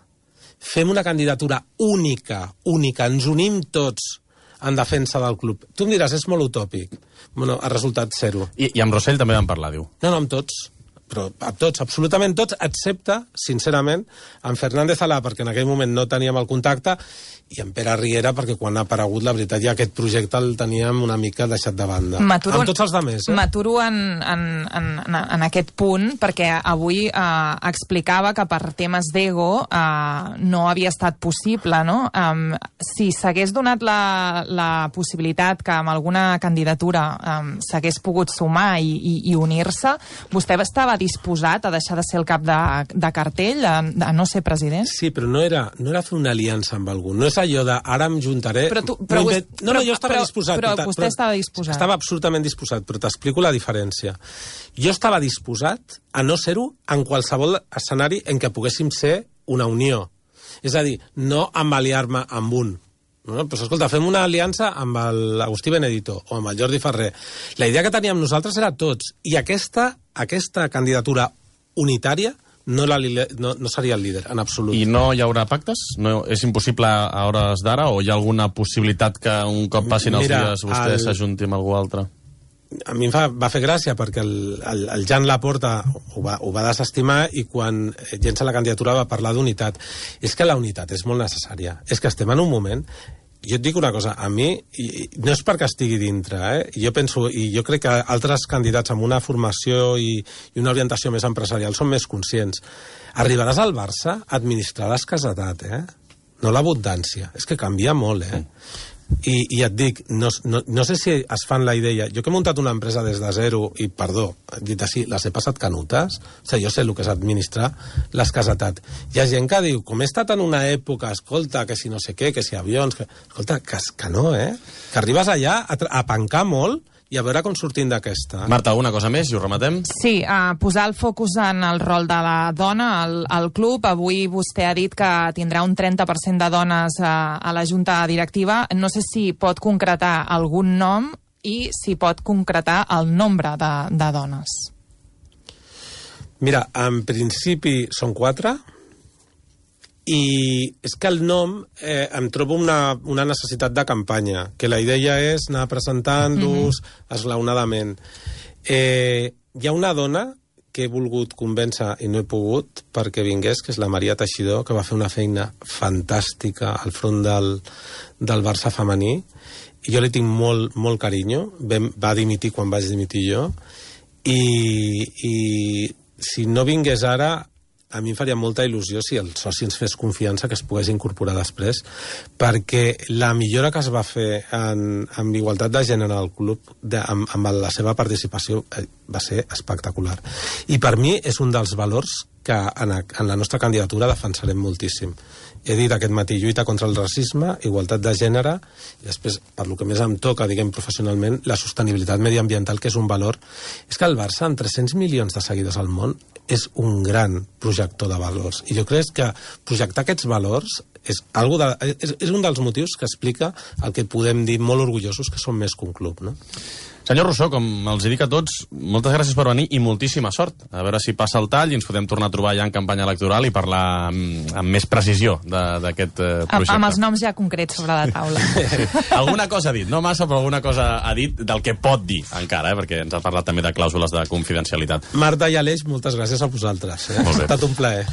Speaker 2: fem una candidatura única, única, ens unim tots en defensa del club? Tu em diràs, és molt utòpic. Bueno, ha resultat zero.
Speaker 1: I, i amb Rosell també van parlar, diu.
Speaker 2: No, no, amb tots. Però amb tots, absolutament tots, excepte, sincerament, en Fernández Alà, perquè en aquell moment no teníem el contacte, i en Pere Riera, perquè quan ha aparegut, la veritat, ja aquest projecte el teníem una mica deixat de banda. Amb tots els altres, eh?
Speaker 3: M'aturo en, en, en, en aquest punt, perquè avui eh, explicava que per temes d'ego eh, no havia estat possible, no? Um, si s'hagués donat la, la possibilitat que amb alguna candidatura um, s'hagués pogut sumar i, i, i unir-se, vostè estava disposat a deixar de ser el cap de, de cartell, a, a no ser president?
Speaker 2: Sí, però no era, no era fer una aliança amb algú, no és allò de ara em juntaré...
Speaker 3: Però tu, però
Speaker 2: no,
Speaker 3: vos,
Speaker 2: no, no, jo estava
Speaker 3: però,
Speaker 2: disposat.
Speaker 3: Però,
Speaker 2: però,
Speaker 3: però vostè
Speaker 2: però,
Speaker 3: estava disposat.
Speaker 2: Estava absolutament disposat, però t'explico la diferència. Jo estava disposat a no ser-ho en qualsevol escenari en què poguéssim ser una unió. És a dir, no embaliar-me amb un. No? Però, escolta, fem una aliança amb l'Agustí Benedito o amb el Jordi Ferrer. La idea que teníem nosaltres era tots. I aquesta, aquesta candidatura unitària no, la, no, no seria el líder, en absolut.
Speaker 1: I no hi haurà pactes? No, és impossible a hores d'ara o hi ha alguna possibilitat que un cop passin els
Speaker 2: Mira,
Speaker 1: dies vostè el... s'ajunti amb algú altre?
Speaker 2: A mi em fa, va fer gràcia perquè el, el, el Jan Laporta ho va, ho va desestimar i quan llença la candidatura va parlar d'unitat. És que la unitat és molt necessària. És que estem en un moment... Jo et dic una cosa, a mi, i, no és perquè estigui dintre, eh? Jo penso, i jo crec que altres candidats amb una formació i, i una orientació més empresarial són més conscients. Arribaràs al Barça a administrar l'escassetat, eh? No l'abundància. És que canvia molt, eh? I, i et dic, no, no, no sé si es fan la idea... Jo que he muntat una empresa des de zero i, perdó, dit així, les he passat canutes, o sigui, jo sé el que és administrar l'escassetat. Hi ha gent que diu, com he estat en una època, escolta, que si no sé què, que si avions... Que... Escolta, que, que no, eh? Que arribes allà a, a pencar molt i a veure com sortim d'aquesta.
Speaker 1: Marta, alguna cosa més i ho rematem?
Speaker 3: Sí, uh, posar el focus en el rol de la dona al, al club. Avui vostè ha dit que tindrà un trenta per cent de dones uh, a la junta directiva. No sé si pot concretar algun nom i si pot concretar el nombre de, de dones.
Speaker 2: Mira, en principi són quatre, i és que el nom eh, em trobo una, una necessitat de campanya, que la idea és anar presentant-los mm-hmm. esglaonadament. Eh, hi ha una dona que he volgut convèncer i no he pogut perquè vingués, que és la Maria Teixidor, que va fer una feina fantàstica al front del, del Barça femení, i jo li tinc molt, molt carinyo. Va dimitir quan vaig dimitir jo, i, i si no vingués ara, a mi em faria molta il·lusió si el soci ens fes confiança que es pogués incorporar després, perquè la millora que es va fer en, en igualtat de gènere al club, de, amb, amb la seva participació, eh, va ser espectacular. I per mi és un dels valors que en, a, en la nostra candidatura defensarem moltíssim. He dit aquest matí, lluita contra el racisme, igualtat de gènere, i després, per lo que més em toca, diguem, professionalment, la sostenibilitat mediambiental, que és un valor. És que el Barça, amb tres-cents milions de seguidors al món, és un gran projector de valors. I jo crec que projectar aquests valors és, algo de, és, és un dels motius que explica el que podem dir molt orgullosos que som més que un club, no?
Speaker 1: Senyor Rousseau, com els dic a tots, moltes gràcies per venir i moltíssima sort. A veure si passa el tall i ens podem tornar a trobar ja en campanya electoral i parlar amb, amb més precisió d'aquest eh, projecte.
Speaker 3: Amb els noms ja concrets sobre la taula.
Speaker 1: Sí. Alguna cosa ha dit, no massa, però alguna cosa ha dit del que pot dir encara, eh, perquè ens ha parlat també de clàusules de confidencialitat.
Speaker 2: Marta i Aleix, moltes gràcies a vosaltres. Eh? Ha estat un plaer.